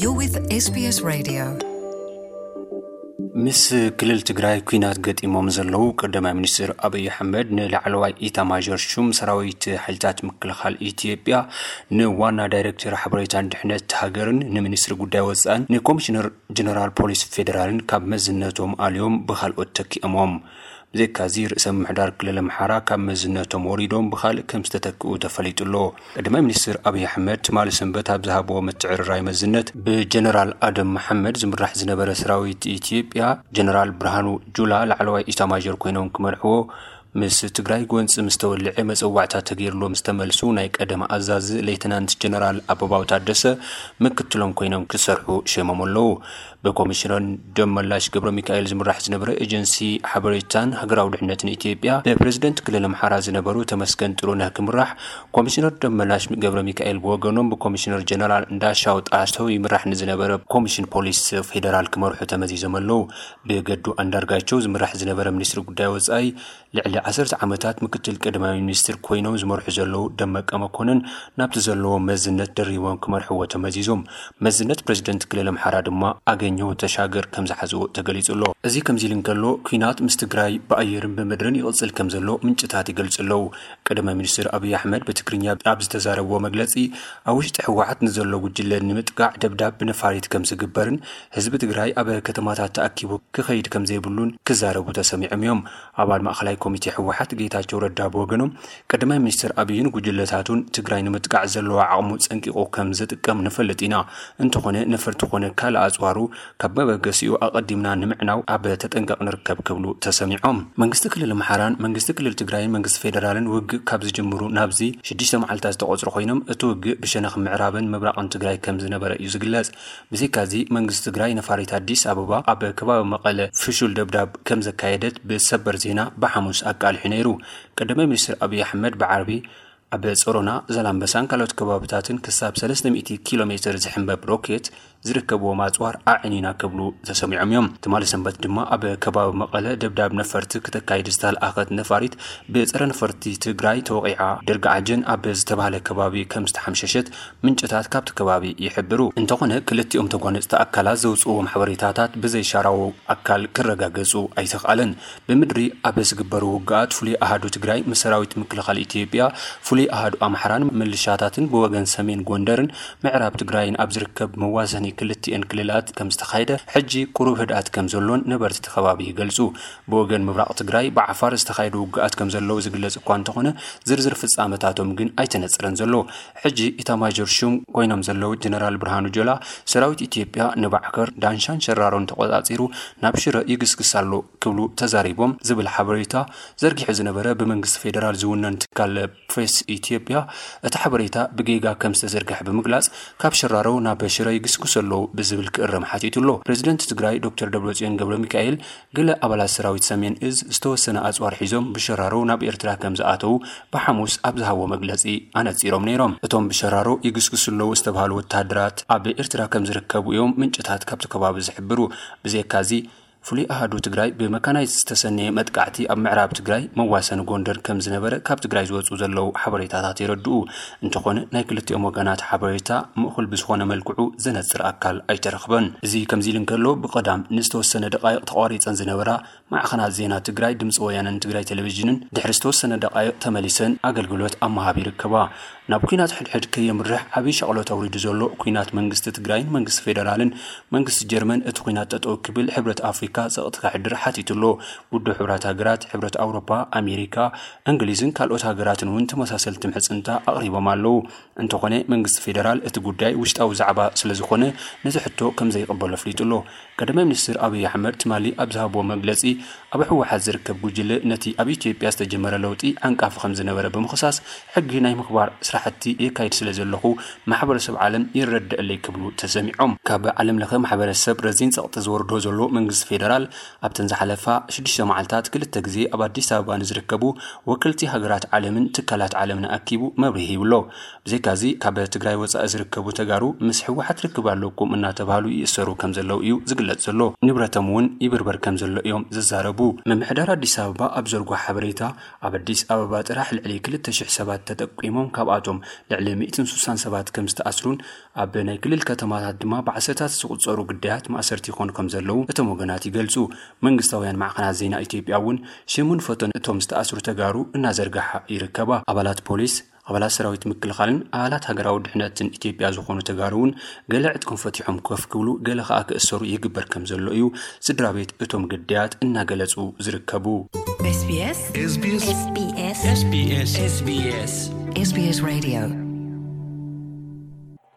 You're with S B S Radio. ምስ ክልል ትግራይ ኲናት ገጢሞም ዘለዉ ቀዳማይ ሚኒስትር ኣብይ ኣሕመድ ንላዕለዋይ ኢታማዦር ሹም ሰራዊት ሓይልታት ምክልኻል ኢትዮጵያ፣ ንዋና ዳይሬክተር ሓበሬታን ድሕነት ሃገርን፣ ንሚኒስትሪ ጉዳይ ወፃእን ንኮሚሽነር ጀነራል ፖሊስ ፌዴራልን ካብ መዝነቶም ኣልዮም ብካልኦት ተኪኦሞም። ብዘይካዚ ርእሰ ምምሕዳር ክልል ኣምሓራ ካብ መዝነቶም ወሪዶም ብካልእ ከም ዝተተክኡ ተፈሊጡ ኣሎ። ቀዳማይ ሚኒስትር ኣብይ ኣሕመድ ትማሊ ሰንበት ኣብ ዝሃብዎ ምትዕርራይ መዝነት ብጀነራል ኣደም መሓመድ ዝምራሕ ዝነበረ ሰራዊት ኢትዮጵያ ጀነራል ብርሃኑ ጁላ ላዕለዋይ ኢታማዦር ኮይኖም ክመርሕዎ ምስ ትግራይ ጎንፂ ምስ ተወልዐ መፀዋዕታ ተገይርሎም ዝተመልሱ ናይ ቀደም ኣዛዚ ሌተናንት ጀነራል ኣበባው ታደሰ ምክትሎም ኮይኖም ክሰርሑ ሸሞም ኣለዉ። ብኮሚሽነር ደመላሽ ገብረ ሚካኤል ዝምራሕ ዝነበረ ኤጀንሲ ሓበሬታን ሃገራዊ ድሕነትን ኢትዮጵያ ብፕሬዝደንት ክልል ኣምሓራ ዝነበሩ ተመስገን ጥሩነህ ክምራሕ፣ ኮሚሽነር ደመላሽ ገብረ ሚካኤል ብወገኖም ብኮሚሽነር ጀነራል እንዳሻው ጣሰው ይምራሕ ንዝነበረ ኮሚሽን ፖሊስ ፌዴራል ክመርሑ ተመዚዞም ኣለዉ። ብገዱ ኣንዳርጋቸው ዝምራሕ ዝነበረ ሚኒስትሪ ጉዳይ ወፃኢ ልዕሊ ዓሰርተ ዓመታት ምክትል ቀዳማይ ሚኒስትር ኮይኖም ዝመርሑ ዘለዉ ደመቀ መኮንን ናብቲ ዘለዎ መዝነት ደሪቦም ክመርሕዎ ተመዚዞም። መዝነት ፕሬዝደንት ክልል ኣምሓራ ድማ ኣገኘሁ ተሻገር ከም ዝሓዝዎ ተገሊጹ ኣሎ። እዚ ከምዚ ኢሉ እንከሎ፣ ኲናት ምስ ትግራይ ብኣየርን ብምድርን ይቕጽል ከም ዘሎ ምንጭታት ይገልጹ ኣለዉ። ቀዳማይ ሚኒስትር ኣብይ ኣሕመድ ብትግርኛ ኣብ ዝተዛረብዎ መግለጺ፣ ኣብ ውሽጢ ህወሓት ንዘሎ ጉጅለ ንምጥቃዕ ደብዳብ ብነፋሪት ከም ዝግበርን ህዝቢ ትግራይ ኣብ ከተማታት ተኣኪቡ ክኸይድ ከም ዘይብሉን ክዛረቡ ተሰሚዖም እዮም። ኣባል ማእኸላይ ኮሚቴ ህወሓት ጌታቸው ረዳ ብወገኖም፣ ቀዳማይ ሚኒስትር ኣብይን ጉጅለታቱን ትግራይ ንምጥቃዕ ዘለዎ ዓቕሙ ጸንቂቑ ከም ዝጥቀም ንፈልጥ ኢና። እንተኾነ ነፈርቲ ኮነ ካልእ ኣጽዋሩ ካብ መበገሲኡ ኣቐዲምና ንምዕናው ኣብ ተጠንቀቕ ንርከብ ክብሉ ተሰሚዖም። መንግስቲ ክልል ኣምሓራን መንግስቲ ክልል ትግራይን መንግስቲ ፌዴራልን ውግእ ካብ ዝጅምሩ ናብዚ ሽዱሽተ መዓልታት ዝተቖጽሩ ኮይኖም፣ እቲ ውግእ ብሸነኽ ምዕራብን ምብራቕን ትግራይ ከም ዝነበረ እዩ ዝግለጽ። ብዘይካዚ መንግስቲ ትግራይ ነፋሪት ኣዲስ ኣበባ ኣብ ከባቢ መቐለ ፍሹል ደብዳብ ከም ዘካየደት ብሰበር ዜና ብሓሙስ ኣቃሊሑ ነይሩ። ቀዳማይ ሚኒስትር ኣብይ ኣሕመድ ብዓርቢ ኣብ ጾሮና፣ ዛላምበሳን ካልኦት ከባብታትን ክሳብ ሰለስተ ሚእቲ ኪሎ ሜትር ዝሕንበብ ሮኬት ዝርከብዎም ኣጽዋር ኣዕኒና ክብሉ ተሰሚዖም እዮም። ትማሊ ሰንበት ድማ ኣብ ከባቢ መቐለ ደብዳብ ነፈርቲ ክተካይድ ዝተልኣኸት ነፋሪት ብጸረ ነፈርቲ ትግራይ ተወቒዓ ደርጋዓጀን ኣብ ዝተባህለ ከባቢ ከም ዝተሓምሸሸት ምንጭታት ካብቲ ከባቢ ይሕብሩ። እንተኾነ ክልቲኦም ተጓነፅቲ ኣካላት ዘውፅእዎም ሓበሬታታት ብዘይሻራዊ ኣካል ክረጋገፁ ኣይተኽኣለን። ብምድሪ ኣብ ዝግበሩ ውግኣት ፍሉይ ኣሃዱ ትግራይ ምስ ሰራዊት ምክልኻል ኢትዮጵያ፣ ፍሉይ ኣሃዱ ኣምሓራን ምልሻታትን ብወገን ሰሜን ጎንደርን ምዕራብ ትግራይን ኣብ ዝርከብ መዋሰኒ ክልቲኤን ክልላት ከም ዝተኻየደ፣ ሕጂ ቁሩብ ህድኣት ከም ዘሎን ነበርቲ እቲ ከባቢ ይገልጹ። ብወገን ምብራቕ ትግራይ ብዓፋር ዝተኻየዱ ውግኣት ከም ዘለዉ ዝግለጽ እኳ እንተኾነ፣ ዝርዝር ፍጻመታቶም ግን ኣይተነጽረን ዘሎ። ሕጂ ኢታማዦር ሹም ኮይኖም ዘለዉ ጀነራል ብርሃኑ ጆላ፣ ሰራዊት ኢትዮጵያ ንባዕከር፣ ዳንሻን ሸራሮን ተቖጻጺሩ ናብ ሽረ ይግስግስ ኣሎ ክብሉ ተዛሪቦም ዝብል ሓበሬታ ዘርጊሑ ዝነበረ ብመንግስቲ ፌደራል ዝውነን ትካል ፕሬስ ኢትዮጵያ፣ እቲ ሓበሬታ ብጌጋ ከም ዝተዘርግሐ ብምግላጽ፣ ካብ ሸራሮ ናብ ሽረ ይግስግሱ ኣለዉ ብዝብል ክእረም ሓቲቱ ኣሎ። ፕሬዚደንት ትግራይ ዶክተር ደብረጽዮን ገብረ ሚካኤል፣ ገለ ኣባላት ሰራዊት ሰሜን እዝ ዝተወሰነ ኣጽዋር ሒዞም ብሸራሮ ናብ ኤርትራ ከም ዝኣተዉ ብሓሙስ ኣብ ዝሃቦ መግለጺ ኣነጺሮም ነይሮም። እቶም ብሸራሮ ይግስግሱ ኣለዉ ዝተባህሉ ወተሃደራት ኣብ ኤርትራ ከም ዝርከቡ እዮም ምንጭታት ካብቲ ከባቢ ዝሕብሩ። ብዘይካዚ፣ ፍሉይ ኣሃዱ ትግራይ ብመካናይዝ ዝተሰነየ መጥቃዕቲ ኣብ ምዕራብ ትግራይ መዋሰኒ ጎንደር ከም ዝነበረ ካብ ትግራይ ዝወፁ ዘለዉ ሓበሬታታት የረድኡ። እንተኾነ፣ ናይ ክልቲኦም ወገናት ሓበሬታ ምእኹል ብዝኾነ መልክዑ ዘነፅር ኣካል ኣይተረኽበን። እዚ ከምዚ ኢሉ እንከሎ፣ ብቐዳም ንዝተወሰነ ደቃይቕ ተቋሪፀን ዝነበራ ማዕኸናት ዜና ትግራይ፣ ድምፂ ወያነን ትግራይ ቴሌቪዥንን ድሕሪ ዝተወሰነ ደቃይቕ ተመሊሰን ኣገልግሎት ኣብ ምሃብ ይርከባ። ናብ ኲናት ሕድሕድ ከየምርሕ ዓብዪ ሻቕሎት ኣውሪዱ ዘሎ ኲናት መንግስቲ ትግራይን መንግስቲ ፌደራልን መንግስቲ ጀርመን እቲ ኲናት ጠጠው ክብል ሕብረት ኣፍሪካ ጸቕጢ ከሕድር ሓቲቱ ኣሎ። ውድብ ሕብራት ሃገራት፣ ሕብረት ኣውሮፓ፣ ኣሜሪካ፣ እንግሊዝን ካልኦት ሃገራትን እውን ተመሳሰልቲ ምሕጽንታ ኣቕሪቦም ኣለዉ። እንተኾነ መንግስቲ ፌደራል እቲ ጉዳይ ውሽጣዊ ዛዕባ ስለ ዝኾነ ነዚ ሕቶ ከም ዘይቕበሎ ኣፍሊጡ ኣሎ። ቀዳማይ ሚኒስትር ኣብይ ኣሕመድ ትማሊ ኣብ ዝሃብዎ መግለጺ ኣብ ህወሓት ዝርከብ ጉጅለ ነቲ ኣብ ኢትዮጵያ ዝተጀመረ ለውጢ ዓንቃፊ ከም ዝነበረ ብምኽሳስ ሕጊ ናይ ምኽባር ስራሕቲ የካይድ ስለ ዘለኹ ማሕበረሰብ ዓለም ይረድኣለይ ክብሉ ተሰሚዖም። ካብ ዓለም ለኸ ማሕበረሰብ ረዚን ጸቕጢ ዝወርዶ ዘሎ መንግስቲ ፌደራል ኣብተን ዝሓለፋ ሽዱሽተ መዓልታት ክልተ ግዜ ኣብ ኣዲስ ኣበባ ንዝርከቡ ወክልቲ ሃገራት ዓለምን ትካላት ዓለምን ኣኪቡ መብርሂ ይብሎ። ብዘይካዚ ካብ ትግራይ ወፃኢ ዝርከቡ ተጋሩ ምስ ህወሓት ርክብ ኣለኩም እናተባህሉ ይእሰሩ ከም ዘለዉ እዩ ዝግለጽ ዘሎ። ንብረቶም እውን ይብርበር ከም ዘሎ እዮም ዝዛረቡ። ምምሕዳር ኣዲስ ኣበባ ኣብ ዘርጎ ሓበሬታ ኣብ ኣዲስ ኣበባ ጥራሕ ልዕሊ ክልተ ሽሕ ሰባት ተጠቂሞም ካብኣ እቶም ልዕሊ ሚእትን ስሳን ሰባት ከም ዝተኣስሩን ኣብ ናይ ክልል ከተማታት ድማ ብዓሰርታት ዝቑጸሩ ግዳያት ማእሰርቲ ይኾኑ ከም ዘለዉ እቶም ወገናት ይገልጹ። መንግስታውያን ማዕኸናት ዜና ኢትዮጵያ እውን ሽሙን ፎቶን እቶም ዝተኣስሩ ተጋሩ እናዘርጋሓ ይርከባ። ኣባላት ፖሊስ፣ ኣባላት ሰራዊት ምክልኻልን ኣባላት ሃገራዊ ድሕነትን ኢትዮጵያ ዝኾኑ ተጋሩ እውን ገለ ዕጥቆም ፈቲሖም ኮፍ ክብሉ፣ ገለ ከኣ ክእሰሩ ይግበር ከም ዘሎ እዩ ስድራ ቤት እቶም ግዳያት እናገለጹ ዝርከቡ። SBS SBS SBS SBS SBS Radio